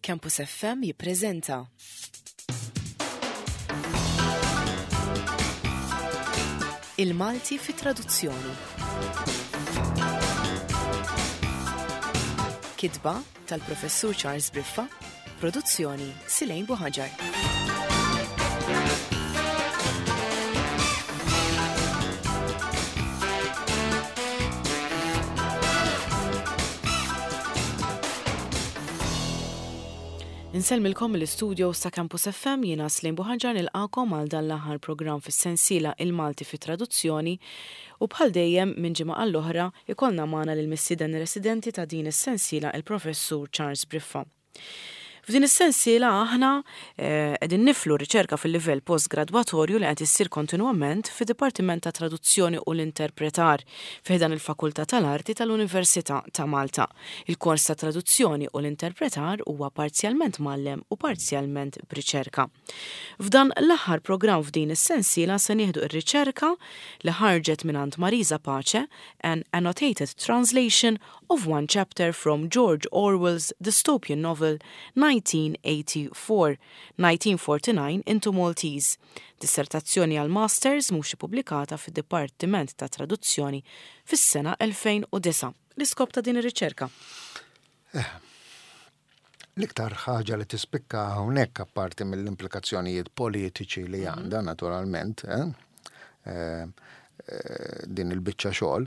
Campus FM jippreżenta. Il-Malti fi traduzzjoni. Kitba tal-Professur Charles Briffa, produzzjoni Silejn Buħaġar. Insellmilkom mill-istudios ta' Campus FM jiena Slim Buħaġar nilqakom għal dan l-aħħar programm fis-sensiela Il-Malti fi Traduzzjoni u bħal dejjem minn ġimgħa għall-oħra ikollna magħna lill-mistieden residenti ta' din is-sensiela il-Professur Charles Briffa. F'din is-sensiela aħna qegħdin niflu riċerka fil-livell postgradwatorju li qed issir kontinwament fid-Dipartiment tat-Traduzzjoni u l-Interpretar fi ħdan il-Fakultà tal-Arti tal-Università ta' Malta. Il-kors tat-Traduzzjoni u l-Interpretar huwa parzjalment mgħallem u parzjalment b'riċerka. F'dan l-aħħar programm f'din is-sensiela se nieħdu r-riċerka li ħarġet mingħand Marisa Pace, An Annotated Translation of One Chapter from George Orwell's Dystopian Novel 1984, 1949 into Maltese, dissertazzjoni għal Masters mhux ippubblikata fid-Dipartiment tat-Traduzzjoni fis-sena 2009. L-iskop ta' din ir-riċerka? Eh, l-iktar ħaġa li tispikka hawnhekk apparti mill-implikazzjonijiet politiċi li mhm. għandha naturalment, eh, eh, eh, din il-biċċa xogħol,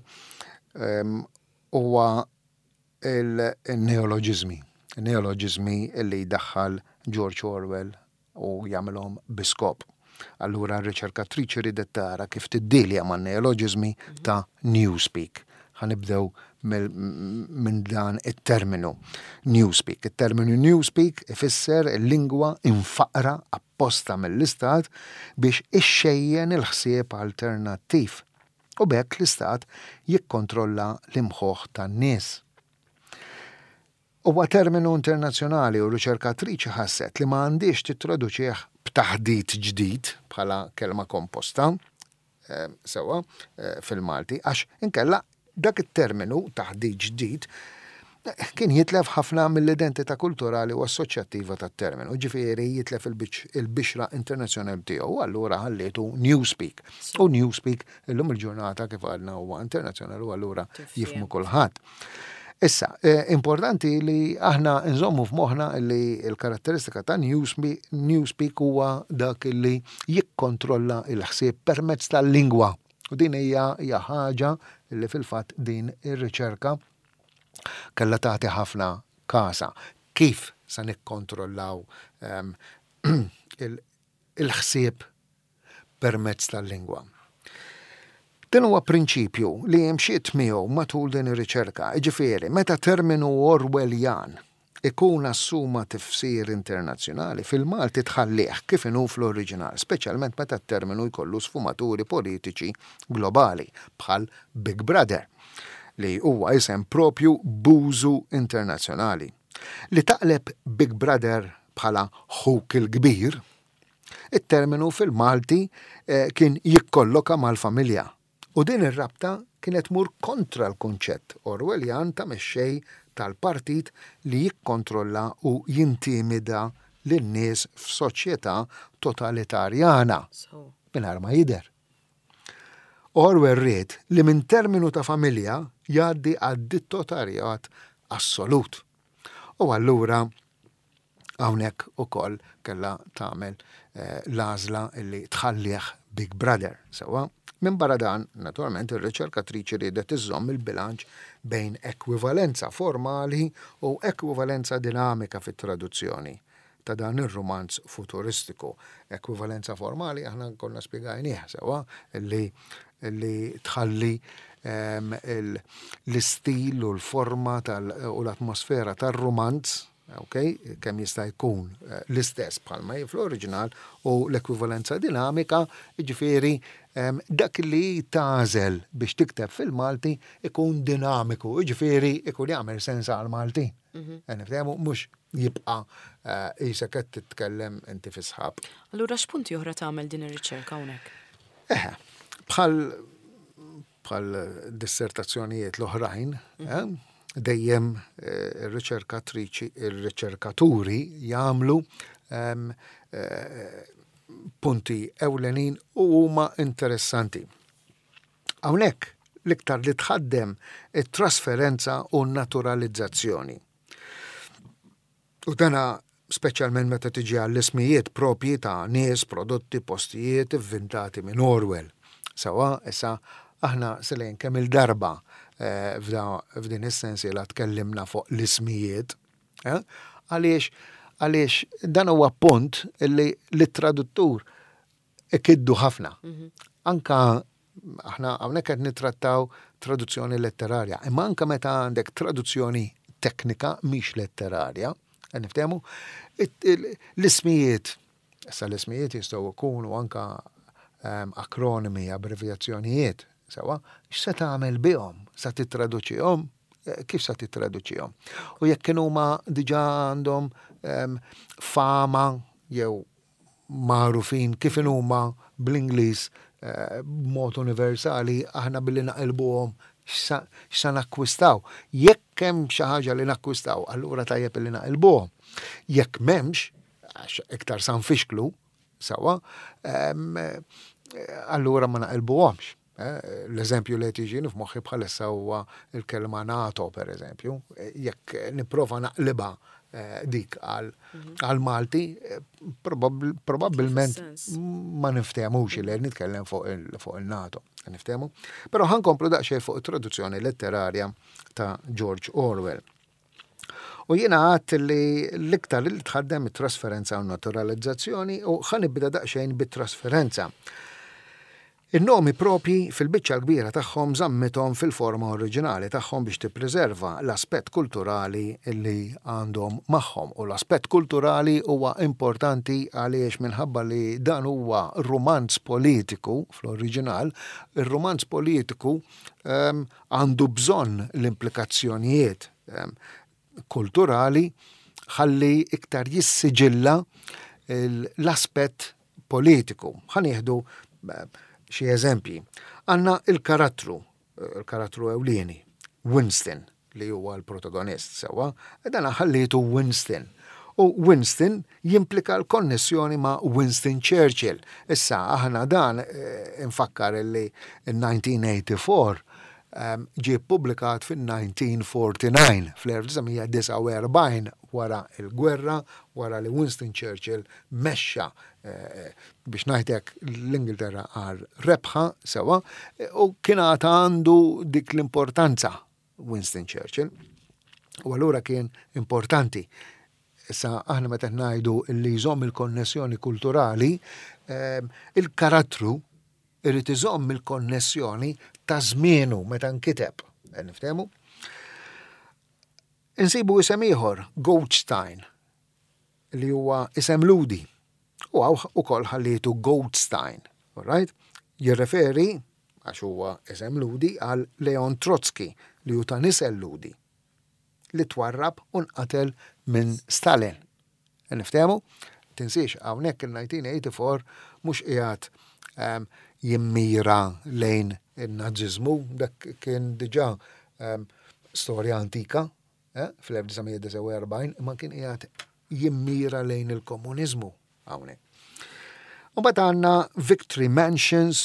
ehm, huwa il-neoloġiżmi. Neoloġiżmi li jdaħħal George Orwell u jagħmilhom bi skop. Allura r-riċerkatriċi ridet tara kif tiddilja man-neoloġiżmi ta' Newspeak. Ħa nibdew minn dan it-terminu Newspeak. It-terminu Newspeak ifisser il-lingwa imfaqqra apposta mill-Istat biex ixxejjen il-ħsieb alternattiv. U b'hekk l-Istat jikkontrolla l-imħuħ tan-nies. Huwa terminu internazzjonali u r-riċerkatriċi ħasset li ma għandhiex tittraduċih b'taħdit ġdid bħala kelma komposta, sewwa, fil-Malti, għax inkella dak it-terminu, taħdit ġdid, kien jitlef ħafna mill-identità kulturali u assoċjattiva tat-terminu, ġifieri jitlef il-bixra internazzjonali tiegħu, u allura ħallietu Newspeak. U Newspeak illum il-ġurnata kif għadna huwa internazzjonali u allura jifhmu kulħadd. Issa, eh, importanti li aħna nżommu f'moħħna li l-karatteristika ta' Newspeak huwa dak li jikkontrolla il-ħsieb permezz tal-lingwa. U din hija hija ħaġa li fil-fatt din ir-riċerka kellha tagħti ħafna kasa. Kif se nikkontrollaw ehm, il-ħsieb permezz tal-lingwa. Dan huwa prinċipju li imxiet miegħu matul din ir-riċerka, jiġifieri meta terminu Orwelljan ikun assuma tifsir internazzjonali, fil-Malti tħallih kif inhu fl-oriġinal, speċjalment meta t-terminu jkollu sfumaturi politiċi globali, bħal Big Brother, li huwa isem proprju b'użu internazzjonali. Li taqleb Big Brother bħala Ħuk il-Kbir, It-terminu fil-Malti kien jikkolloka mal-familja u din ir-rabta kienet tmur kontra l-kunċett Orwelljan ta' mexxej tal-partit li jikkontrolla u jintimida lin-nies f'soċjetà totalitarjana mingħajr ma jidher. Orwell ried li minn terminu ta' familja jgħaddi għad-dittotarjat assolut. U allura Hawnhekk ukoll kellha tagħmel l-għażla li tħallih Big Brother, sewwa. Minbarra dan, naturalment, ir-riċerkatriċi riedet iżżomm il-bilanċ bejn ekwivalenza formali u ekwivalenza dinamika fit-traduzzjoni ta' dan ir-rumanz futuristiku. Ekwivalenza formali aħna konna spjegajnieh sewwa li li tħalli l-istil u l-forma u l-atmosfera tar-rumanz ok, kemm jista' jkun eh, l-istess bħalma hi fl-oriġinal u l-ekwivalenza dinamika, jiġifieri dak li tagħżel biex tikteb fil-Malti ikun dinamiku, jiġifieri ikun jagħmel sens għall-Maltin. Mhm. Eh, niftehmu mhux jibqa' eh, qisek qed titkellem inti fi sħab. Allura x'punti oħra tagħmel din ir-riċerka hawnhekk? Eħe, bħal bħal dissertazzjonijiet l-oħrajn, mhm. dejjem eh, ir-riċerkatriċi, ir-riċerkaturi jagħmlu ehm, eh, punti ewlenin u huma interessanti. Hawnhekk l-iktar li tħaddem it-trasferenza u n-naturalizzazzjoni. U dana speċjalment meta tiġi għall-ismijiet propji ta' nies, prodotti, postijiet ivvintati minn Orwell. Sewwa, issa aħna Selene kemm il-darba eh, f'din is-sensiela tkellimna fuq l-ismijiet. Eh? Għaliex għaliex dan huwa punt li l-traduttur ikiddu ħafna. Mhm. Anka aħna hawnhekk qed nittrattaw traduzzjoni letterarja, imma anka meta għandek traduzzjoni teknika mhix letterarja, qed niftehmu, l-ismijiet, issa l-ismijiet jistgħu jkunu anka ehm, akronimi, abbrevjazzjonijiet, sewa, x'se tagħmel bihom? Sa tittraduċihom? Eh, kif sa tittraduċihom? U jekk kienu huma diġà għandhom ehm, fama jew magħrufin kif inhuma bl-Ingliż eh, b'mod universali aħna billi naqilbuhom x'sa nakkwistaw. Jekk hemm xi ħaġa li nakkwistaw, allura tajjeb li naqilbuhom. Jekk m'hemmx, għax iktar sa nfixklu, sewwa, ehm, allura ma naqilbuhomx. Eh, l-eżempju li qed jiġini f'moħħi bħalissa huwa l-kelma NATO, per eżempju. Eh, jekk nipprova naqlibha eh, dik għal mhm. Malti, probabbilment ma niftehmux li nitkellem fuq il-NATO. Niftehmu. Però ħankomplu daqsxejn fuq it-traduzzjoni letterarja ta' George Orwell. U jiena għadt li l-iktar li tħaddem it-trasferenza u naturalizzazzjoni u ħanibda daqsxejn bit-trasferenza. In-nomi proprji fil-biċċa l-kbira tagħhom żammithom fil-forma oriġinali tagħhom biex tippriserva l-aspett kulturali li għandhom magħhom. U l-aspett kulturali huwa importanti għaliex minħabba li dan huwa rumanz politiku fl-oriġinal, ir-rumanz politiku ehm, għandu bżonn l-implikazzjonijiet ehm, kulturali ħalli iktar jissiġilla l-aspett politiku. Ħa nieħdu eh, xi eżempji. Għandna il-karattru, eh, il-karattru ewlieni, Winston, li huwa l-protagonist sewwa, dan ħallietu Winston. U Winston jimplika l-konnessjoni ma' Winston Churchill. Issa aħna dan eh, infakkar li 1984 ġie ppubblikat fin-1949, fl-1949 wara l-gwerra, wara li Winston Churchill mexxa eh, biex ngħidlek l-Ingilterra għal rebħa sewwa u kien għad għandu dik l-importanza Winston Churchill. U allura kien importanti. Issa aħna meta ngħidu li jżomm il-konnessjoni kulturali, eh, il-karattru Irid iżomm il-konnessjoni ta' żmienu meta nkiteb. Niftehmu? Insibu isem ieħor, Goldstein, li huwa isem Lhudi. U hawn ukoll ħallietu Goldstein. All right? Jirreferi, għax huwa isem Lhudi, għal Leon Trotsky li hu ta' nisel Lhudi li twarrab u nqatel minn Stalin. Niftehmu? Tinsiex, hawnhekk il-1984 mhux qiegħed ehm, jimmira lejn in-Naziżmu, dak kien diġà ehm, storja antika eh, fl-1949, imma kien qiegħed jimmira lejn il-komuniżmu hawnhekk. U mbagħad għandna Victory Mansions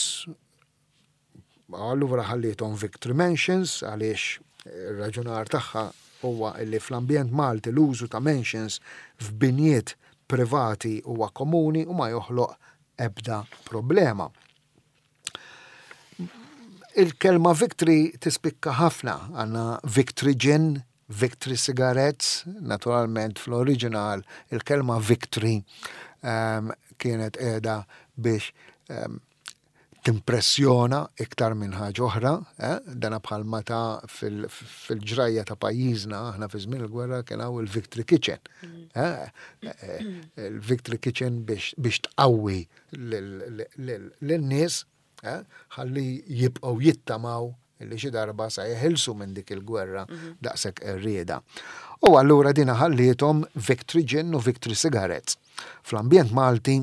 Allura ħalliethom Victory Mansions għaliex ir-raġunar tagħha huwa li fl-ambjent Malti l-użu ta' mansions f'binjiet privati huwa komuni u ma joħloq ebda problema. Il-kelma victory tispikka ħafna, għandna victory gin, victory cigarettes, naturalment fl-oriġinal il-kelma victory um, kienet qiegħda biex um, timpressjona iktar minn ħaġa oħra, eh? dana bħal meta fil-ġrajja ta' pajjiżna aħna fi żmien il-gwerra kien hawn il-Victory Kitchen. Mm. Eh? Eh, il-Victory Kitchen biex tqawwi lin-nies ħalli jibqgħu jittamaw li xi darba sa jeħilsu minn dik il-gwerra mhm. daqshekk qerrieda. U allura dina ħalliethom Victory Gin u Victory Cigarettes. Fl-ambjent Malti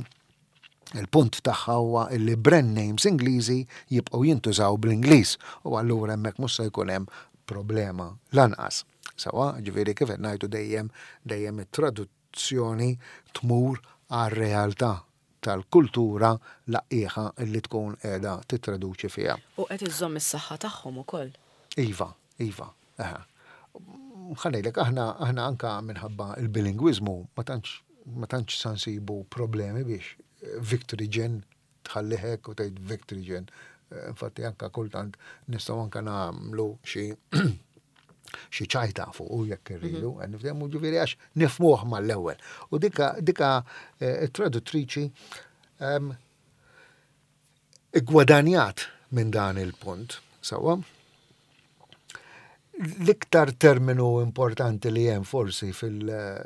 Il-punt tagħha huwa illi brand names Ingliżi jibqgħu jintużaw bl-Ingliż u allura hemmhekk mhux se jkun hemm problema lanqas. Sawa, ġifieri kif qed ngħidu dejjem dejjem it-traduzzjoni tmur għar-realtà tal-kultura laqqieħa li tkun qiegħda tittraduċi fiha. U qed iżżomm is-saħħa tagħhom ukoll. Iva, iva, eħe. Ħa ngħidlek aħna aħna anka minħabba l-bilingwiżmu ma tantx ma tantx sa nsibu problemi biex Victory Gin tħallih hekk u tgħid Victory Gin. Infatti anka kultant nistgħu anka nagħmlu xi xi ċajta fuq u jekk irridu, mhm. nifhmu ġifieri għax nifmuh mal-ewwel. U dika dika eh, traduttriċi ehm, iggwadanjat minn dan il-punt, sewwa. L-iktar terminu importanti li hemm forsi fil- eh,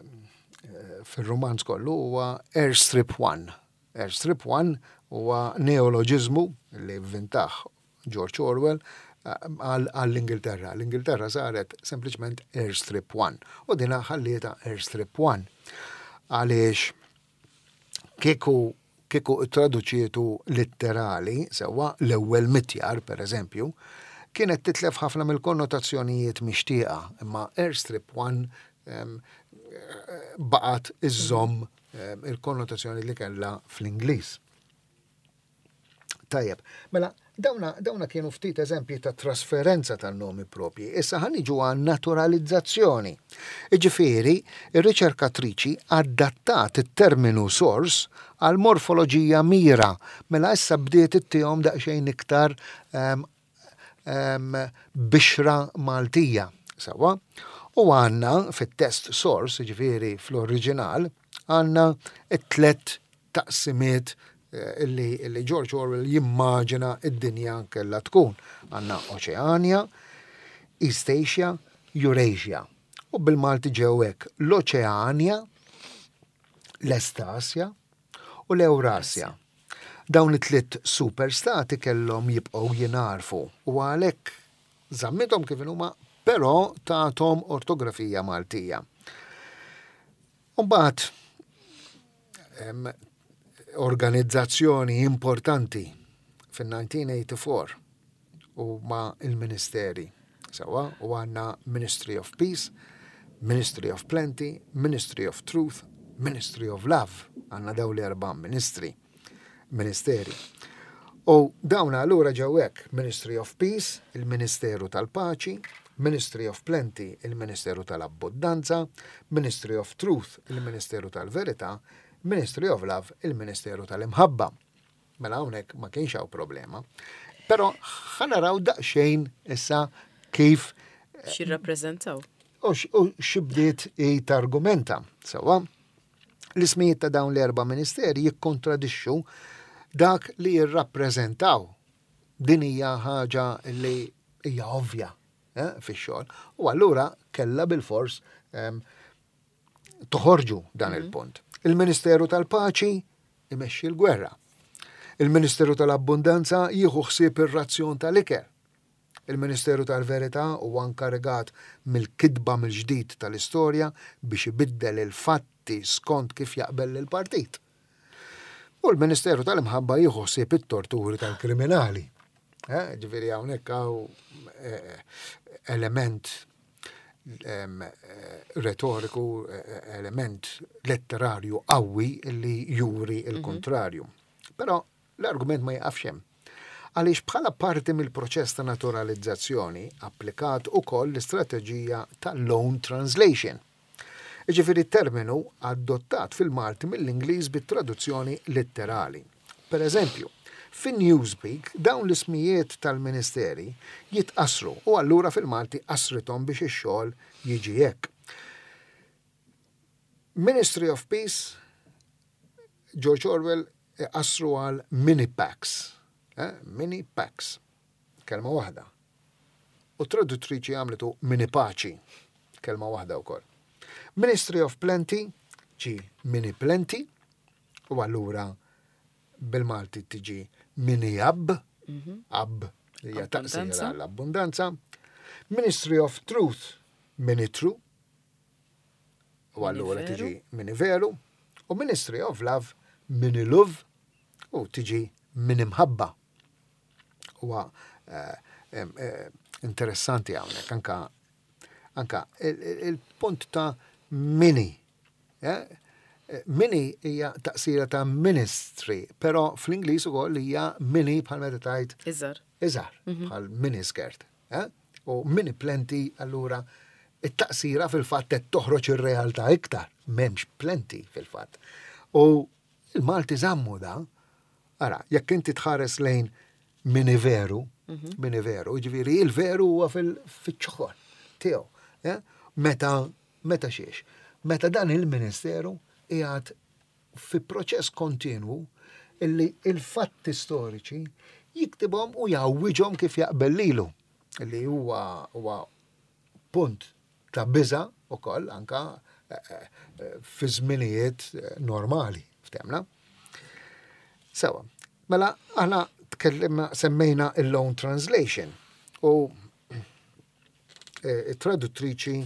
fil-romanz kollu huwa Airstrip One. Airstrip One huwa neoloġiżmu li vvintaħ George Orwell għall-Ingilterra. L-Ingilterra saret sempliċement Airstrip One u dina ħallietha Airstrip One. Għaliex kieku kieku traduċietu litterali, sewwa l-ewwel mitjar, per eżempju, kienet titlef ħafna mill-konnotazzjonijiet mixtieqa, imma Airstrip One baqgħet iżżomm il-konnotazzjoni li kellha fl-Ingliż. Tajjeb, mela dawna, dawna kienu ftit eżempji ta' trasferenza tan-nomi propji. Issa ħa niġu għan naturalizzazzjoni. Iġifieri, ir-riċerkatriċi adattat it-terminu sors għal morfoloġija mira, mela issa bdiet ittihom daqsxejn iktar um, um, bixra Maltija. Sawa? U għanna fit-test source, ġifieri fl-oriġinal, għanna it-tlet taqsimiet eh, illi, illi George Orwell jimmaġina id-dinja kella tkun. Għanna Oceania, East Asia, Eurasia. U bil-Malti ġew hekk l-Oceania, l-Estasja u l-Eurasja. Dawn it-tliet superstati kellhom jibqgħu jingħarfu u għalhekk żammithom kif huma, però tathom ortografija Maltija. Umbagħad organizzazzjoni importanti fin-1984 u ma il-ministeri. Sawa, u għanna Ministry of Peace, Ministry of Plenty, Ministry of Truth, Ministry of Love. Għanna daw l-erba ministri, ministeri. U dawn allura ġew hekk, Ministry of Peace, il-Ministeru tal-Paċi, Ministry of Plenty, il-Ministeru tal-Abbundanza, Ministry of Truth, il-Ministeru tal-Verità, Ministry of Love, il-Ministeru tal-Imħabba. Mela hawnhekk ma kienx hawn problema. Però ħa naraw daqsxejn issa kif X'jirrappreżentaw. U x'bdiet hi targumenta. Sewwa? L-ismijiet ta' dawn l-erba' ministeri jikkontradixxu dak li jirrappreżentaw. Din hija ħaġa li hija ovvja eh, fix-xogħol. U allura kellha bilfors ehm, toħorġu dan mhm. il-punt. Il-Ministeru tal-Paċi imexxi l-gwerra. Il-Ministeru tal-Abbundanza jieħu ħsieb ir-razzjon tal-ikel. Il-Ministeru tal-Verità huwa nkarigat mill-kitba mill-ġdid tal-istorja biex ibiddel il-fatti skont kif jaqbel lill-partit. U l-Ministeru tal-Imħabba jieħu ħsieb it-torturi tal-kriminali. Eh, ġifieri hawnhekk hawn eh, element eh, retoriku, element letterarju qawwi li juri mhm. il-kontrarju. Però L-argument ma jiqafx hemm. Għaliex bħala parti mill-proċess ta' naturalizzazzjoni applikat ukoll l-istrateġija ta' loan translation. Jiġifieri terminu adottat fil-Malti mill-Ingliż bi traduzzjoni litterali. Per eżempju, fi Newspeak dawn l-ismijiet tal-ministeri jitqassru u allura fil-Malti qassrithom biex ix-xogħol jiġi hekk. Ministry of Peace, George Orwell iqassru għal mini packs. Eh? Mini packs. Kelma waħda. U traduttriċi għamlitu mini paċi. Kelma waħda wkoll. Ministry of Plenty ġi mini plenty u allura bil-Malti tiġi mini ab, mhm. ab hija taqsira l-abbundanza. Ministry of Truth mini true, U allura tiġi mini veru, u Ministry of Love mini love u tiġi mini mħabba. Huwa eh, eh, interessanti hawnhekk anka Anka il-punt ta' mini. Eh? Mini hija taqsira ta' ministry, però fl-Ingliż ukoll hija mini bħal meta tgħid. Iżgħar. Iżgħar, mhm. bħal mini skirt. Eh? U mini plenty allura it-taqsira fil-fatt qed toħroġ ir-realtà iktar, m'hemmx plenty fil-fatt. U il-Malti żammu da, ara, jekk inti tħares lejn mini veru, mhm. mini veru, ġifieri il-veru huwa fil-ċoħor tiegħu. Eh? Meta meta xiex? Meta dan il-ministeru qiegħed fi proċess kontinwu illi il-fatti storiċi jiktibhom u jgħawwiġhom kif jaqbel lilu, li huwa huwa punt ta' biża' ukoll anka eh, eh, fi żminijiet eh, normali, ftemna. Sewa, mela aħna tkellimna semmejna il-loan translation u it-traduttriċi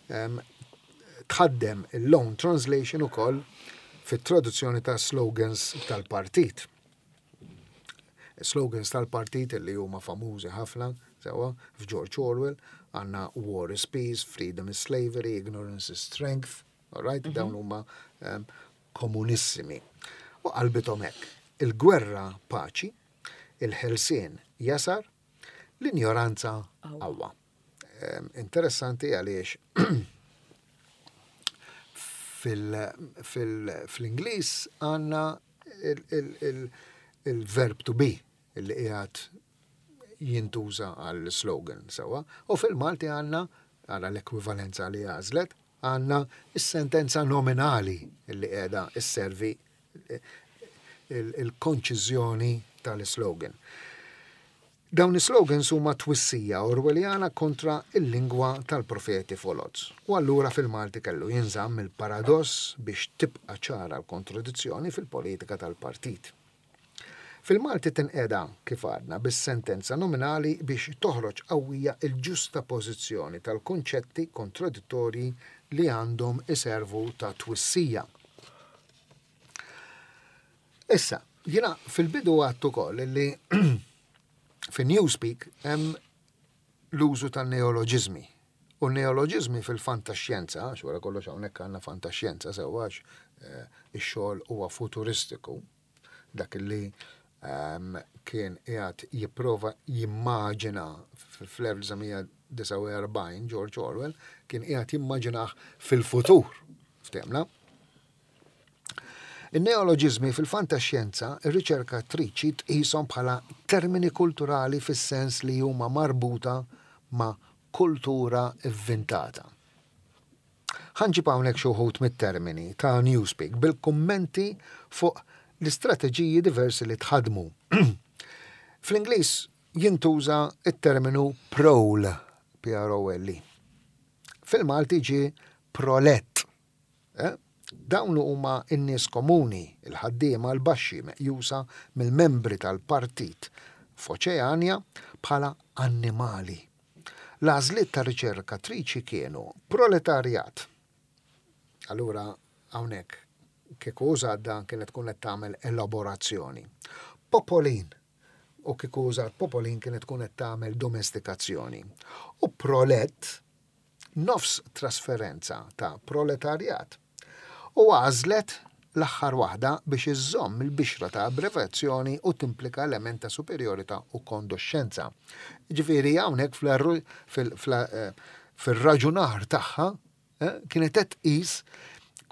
tħaddem il-loan translation ukoll fit-traduzzjoni ta' slogans tal-partit. Slogans tal-partit li huma famużi ħafna, sewa, f'George Orwell, għandna War is Peace, Freedom is Slavery, Ignorance is Strength, all right? Mm -hmm. Dawn huma um, komunissimi. U qalbithom hekk. Il-gwerra paċi, il-ħelsien jasar, L-injoranza qawwa. Interessanti għaliex fil-Ingliż għandna il-verb to be li qiegħed jintuża għal slogan sewwa, u fil-Malti għandna għala l-ekwivalenza li għażlet, għandna s-sentenza nominali li qiegħda sservi il-konċiżjoni tal-islogan. Dawn is-slogans huma twissija Orwelljana kontra l-lingwa tal-profeti foloz. U allura fil-Malti kellu jinżamm il-paradoss biex tibqa' ċara l-kontradizzjoni fil-politika tal-partit. Fil-Malti tinqeda, kif għadna, bis-sentenza nominali biex toħroġ qawwija l-ġustapożizzjoni tal-kunċetti kontradittorji li għandhom iservu ta' twissija. Issa, jiena fil-bidu għadt ukoll li fin-Newspeak hemm l-użu tan-neoloġiżmi. U n-neoloġiżmi fil-fantaxjenza, għax wara kollox hawnhekk għandna fantaxjenza sewwa għax eh, ix-xogħol huwa futuristiku, dak li ehm, kien qiegħed jipprova jimmaġina fl-1949 George Orwell kien qiegħed jimmaġinah fil-futur. Ftemna? In-neoloġiżmi fil-fantaxjenza, ir-riċerkatriċi tqishom bħala termini kulturali fis-sens li huma marbuta ma' kultura vvintata. Ħa nġib hawnhekk xi wħud mit-termini ta' Newspeak bil-kummenti fuq l-istrateġiji diversi li tħaddmu. Fl-Ingliż jintuża t-terminu prole, P-R-O-L-E. Fil-Malti ġie prolett. Eh? Dawn huma n-nies komuni, il-ħaddiema l-baxxi meqjusa mill-membri tal-partit f'Oċeanja bħala annimali. L-għażliet tar-riċerkatriċi kienu proletarjat. Allura hawnhekk kieku użat dan kienet tkun qed tagħmel elaborazzjoni. Popolin u kieku użat popolin kienet tkun qed tagħmel domestikazzjoni. U prolett nofs trasferenza ta' proletarjat, u għażlet l-aħħar waħda biex iżżomm il-bixra ta' abbrevazzjoni u timplika element ta' superjorità u kondoxxenza. Jiġifieri hawnhekk fir-raġunar tagħha kienet qed tqis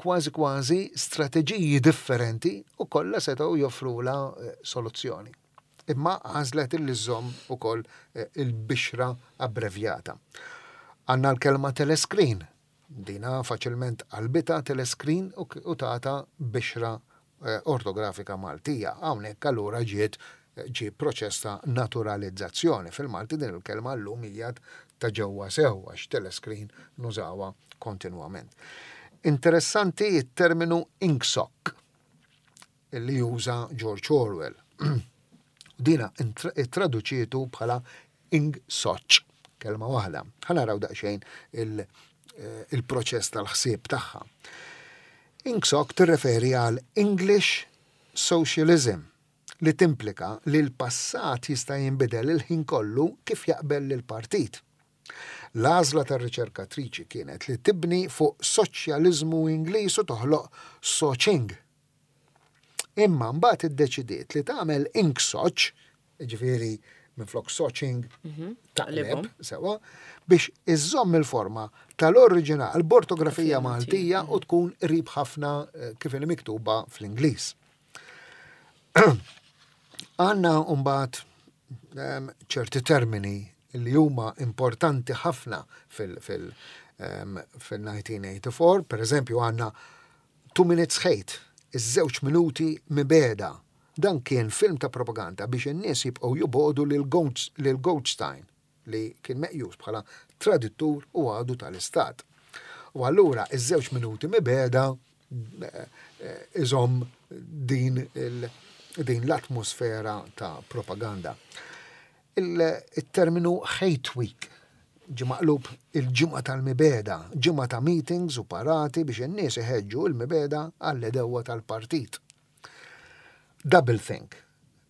kważi kważi strateġiji differenti u kollha setgħu joffrulha soluzzjoni. Imma għażlet illi żżomm ukoll eh, il-bixra abbrevjata. Għandna l-kelma telescreen. Dina faċilment qalbita telescreen u tata bixra eh, ortografika Maltija. Hawnhekk allura ġiet eh, ġie proċess ta' naturalizzazzjoni. Fil-Malti din il-kelma llum hija ta' ġewwa sew għax telescreen nużawha kontinwament. Interessanti t-terminu inksock li juża George Orwell. Dina ittraduċietu bħala Ingsoc, kelma waħda. Ħa naraw daqsxejn eh, il-proċess tal-ħsieb tagħha. Ingsoc tirreferi għal English Socialism li timplika li l-passat jista' jinbidel il-ħin kollu kif jaqbel lill-partit. L-għażla tar-riċerkatriċi kienet li tibni fuq soċjaliżmu Ingliż u toħloq soċing. Imma mbagħad iddeċidiet li tagħmel inksoċ, jiġifieri minflok soċing mhm. taqleb sewa, biex iżżomm il-forma tal-oriġinal b'ortografija Maltija u tkun qrib ħafna eh, kif inhi miktuba fl-Ingliż. Għanna mbagħad ehm, ċerti termini li huma importanti ħafna fil-1984, ehm, per eżempju għanna Two Minutes Hate, iż-żewġ minuti mibegħda. Dan kien film ta' propaganda biex in-nies jibqgħu jobogħdu lil Goldstein, li kien meqjus bħala tradittur u għadu tal-istat. U allura iż-żewġ minuti mibegħda iżomm din din l-atmosfera ta' propaganda. Il-terminu Hate Week ġie maqlub il-ġimgħa tal-mibegħda, ġimgħa ta' meetings u parati biex in-nies iħeġġu l-mibegħda għall-għedewwa tal-partit. Double think,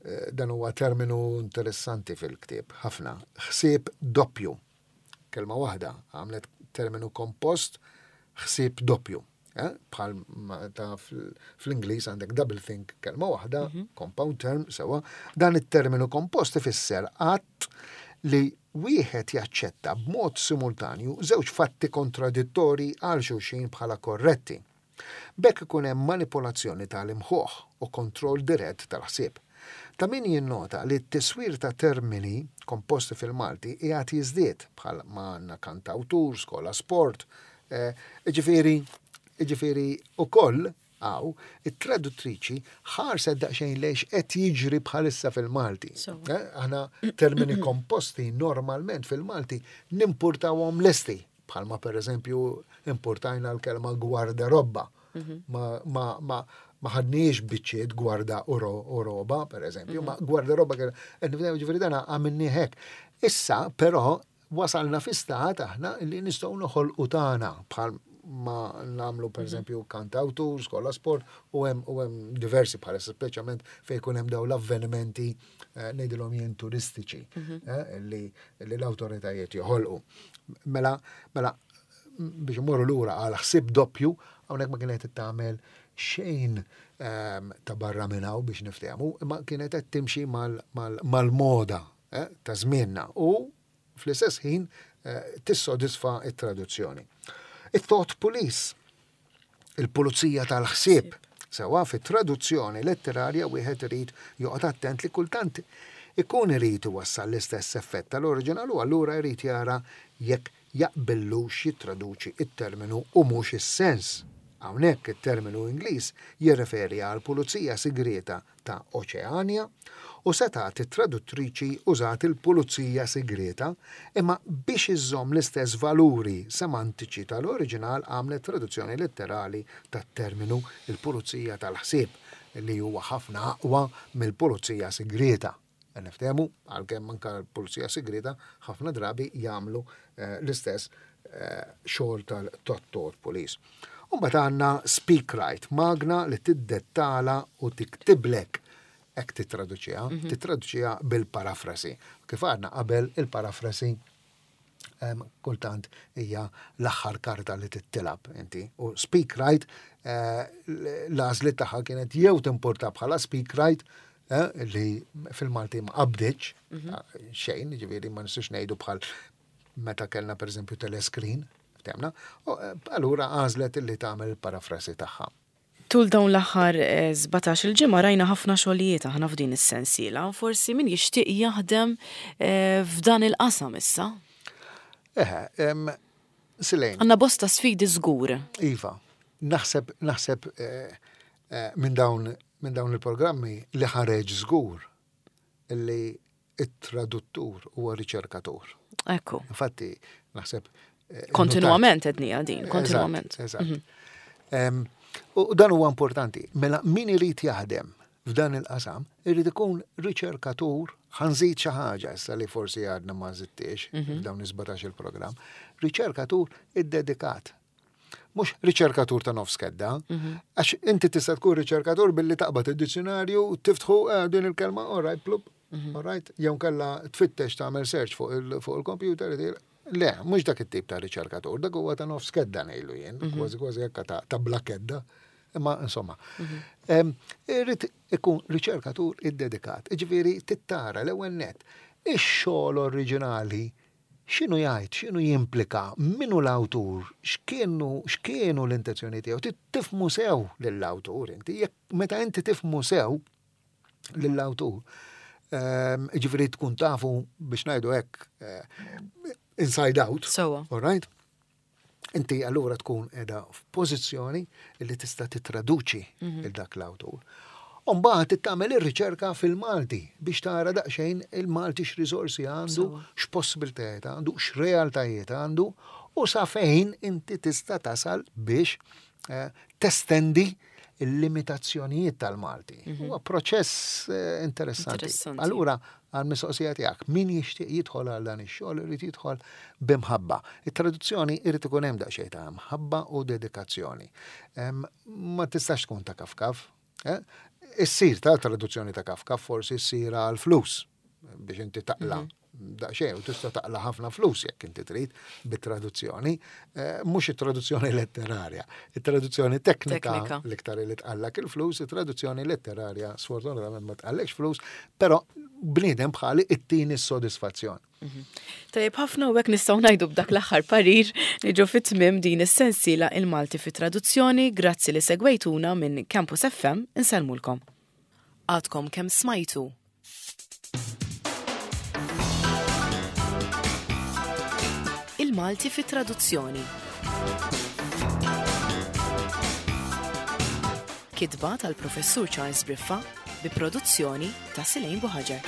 eh, dan huwa terminu interessanti fil-ktieb ħafna, ħsieb doppju. Kelma waħda għamlet terminu kompost ħsieb doppju. Eh, bħal ta' fl-Ingliż għandek double think kelma waħda, mhm. compound term, sewa, dan it-terminu kompost ifisser att li wieħed jaċċetta b'mod simultanju żewġ fatti kontradittori għal xulxin bħala korretti. B'hekk ikun hemm manipolazzjoni ta' l-imħuħ u kontroll dirett tal-ħsieb. Ta' min jinnota li t-tiswir ta' termini komposti fil-Malti qiegħed jiżdied, bħal ma għandna kantawtur, skola sport, jiġifieri, jiġifieri ukoll hawn it-traduttriċi ħarset daqsxejn lejn x'qed jiġri bħalissa fil-Malti. Aħna termini komposti normalment fil-Malti nimpurtawhom lesti. Bħalma per eżempju importajna l-kelma gwardarobba. Mhm. Ma, ma, ma, ma ħadniex biċċiet gwarda u roba, per eżempju, ma mhm. gwardarobba kien, ġifieri dana għamilni hekk. Issa, però, wasalna fi stat aħna li nistgħu noħolqu tagħna bħal ma namlu per mhm. eżempju kantawtur, skola sport u hemm u hemm diversi bħala speċjalment fejn jkun hemm dawn l-avvenimenti eh, ngħidilhom jien turistiċi eh, li l-awtoritajiet joħolqu. Mela, mela, biex imorru lura għal ħsieb doppju, hawnhekk ma kienet tagħmel xejn ehm, ta' barra minn hawn biex niftehmu, imma kienet qed timxi mal-moda eh, ta' żmienna u fl-istess ħin eh, tissodisfa it-traduzzjoni. It-thought police il-pulizija tal-ħsieb. Sewwa fit-traduzzjoni letterarja wieħed irid joqgħod attent li kultant ikun irid iwassal l-istess effett tal-oriġinal u allura jrid jara jekk jaqbillux jittraduċi t-terminu u mhux is-sens. Hawnhekk it-terminu Ingliż jirreferi għall-pulizija sigrieta ta' Oċeanja u setgħet it-traduttriċi użat il-pulizija sigrieta imma biex iżżomm l-istess valuri semantiċi tal-oriġinal għamlet traduzzjoni letterali tat-terminu il-pulizija tal-ħsieb li huwa ħafna aqwa mill-pulizija sigrieta. Niftehmu, għalkemm anke l-pulizija sigrieta ħafna drabi jagħmlu eh, l-istess eh, xogħol tal-Thought Police. U mbagħad għandna Speak Right, magna li tiddettala u tiktiblek hekk tittraduċiha, mhm. tittraduċiha bil-parafrasi. Kif għadna qabel il-parafrasi kultant hija l-aħħar karta li tittilab inti. U Speak Right eh, l-għażliet tagħha kienet jew timporta bħala Speak Right eh, li fil-Malti ma qabdiċ mhm. eh, xejn, ġifieri ma nistax ngħidu bħal meta kellna pereżempju telescreen, temna, allura għażlet li tagħmel il-parafrasi tagħha. Tul dawn l-aħħar 17-il ġimgħa rajna ħafna xogħlijiet aħna f'din is-sensiela. Forsi min jixtieq jaħdem eh, f'dan il-qasam issa. Eħe, Silejn. Għandna bosta sfidi żgur. Iva, naħseb naħseb eh, eh, minn dawn minn dawn il-programmi li ħareġ żgur li it-traduttur huwa riċerkatur. Ekku. Infatti, naħseb. Eh, kontinuament ednija din, kontinuament. Eżatt. Mhm. U dan huwa importanti. Mela min irid jaħdem f'dan il-qasam, irid ikun riċerkatur, ħanżid xi ħaġa issa li forsi għadna ma żidtiex mhm. f'dawn is-17 il-programm, riċerkatur iddedikat. Mhux riċerkatur ta' nofs kedda, mhm. għax inti tista' tkun riċerkatur billi taqbad id-dizzjonarju, tiftħu eh, din il-kelma, all right, plup, mhm. all right, jew kella tfittex tagħmel search fuq il-computer, Le, mhux dak it-tip ta' riċerkatur, dak huwa ta' nofs kedda ngħidlu jien, mhm. kważi kważi hekk ta' bla kedda. Imma insomma, mhm. irrid ikun riċerkatur iddedikat. Ġifieri tittara l-ewwel net ix-xogħol oriġinali x'inhu jgħid, x'inhu jimplika, min hu l-awtur, x'kienu x'kienu l-intenzjoni tiegħu, tifhmu sew lill-awtur inti, jekk meta inti tifhmu sew lill-awtur, ehm, ġifieri tkun tafu biex ngħidu hekk eh, inside out. Sewa. All right? Inti allura tkun edha f'pożizzjoni li tista' titraduċi mhm. il dak l-awtur. Umbagħad tagħmel ir-riċerka fil-Malti biex tara daqsxejn il-Malti x'riżorsi għandu, x'possibiltajiet għandu, x'realtajiet għandu u sa fejn inti tista' tasal biex eh, testendi il-limitazzjonijiet tal-Malti. Mhm. Huwa proċess eh, interessanti. Allura, għal-mistoqsija tiegħek, min jixtieq jidħol għal dan ix-xogħol irid jidħol b'imħabba. It-traduzzjoni irid ikun hemm daqsxejn ta' mħabba u dedikazzjoni. Ma tistax tkun ta' kafkaf. Eh? Issir ta' traduzzjoni ta' kafkaf forsi ssir għal flus biex inti taqla' mhm. Daqsxejn, u tista' taqla' ħafna flus jekk inti trid bit-traduzzjoni, eh, mhux it-traduzzjoni letterarja, it-traduzzjoni teknika l-iktar li tqallak il-flus, it-traduzzjoni letterarja sfortunatament ma tqallekx flus, però bniedem bħali it-tieni s-sodisfazzjon. Mhm. Tajjeb ħafna u hekk nistgħu ngħidu b'dak l-aħħar parir niġu fit-tmiem din is-sensiela il-Malti fit-traduzzjoni, grazzi li segwejtuna minn Campus FM insellmulkom. Għadkom kemm smajtu Il-Malti fi traduzzjoni. Kitba tal-Professur Charles Briffa bi produzzjoni ta' Silejn Buħaġar.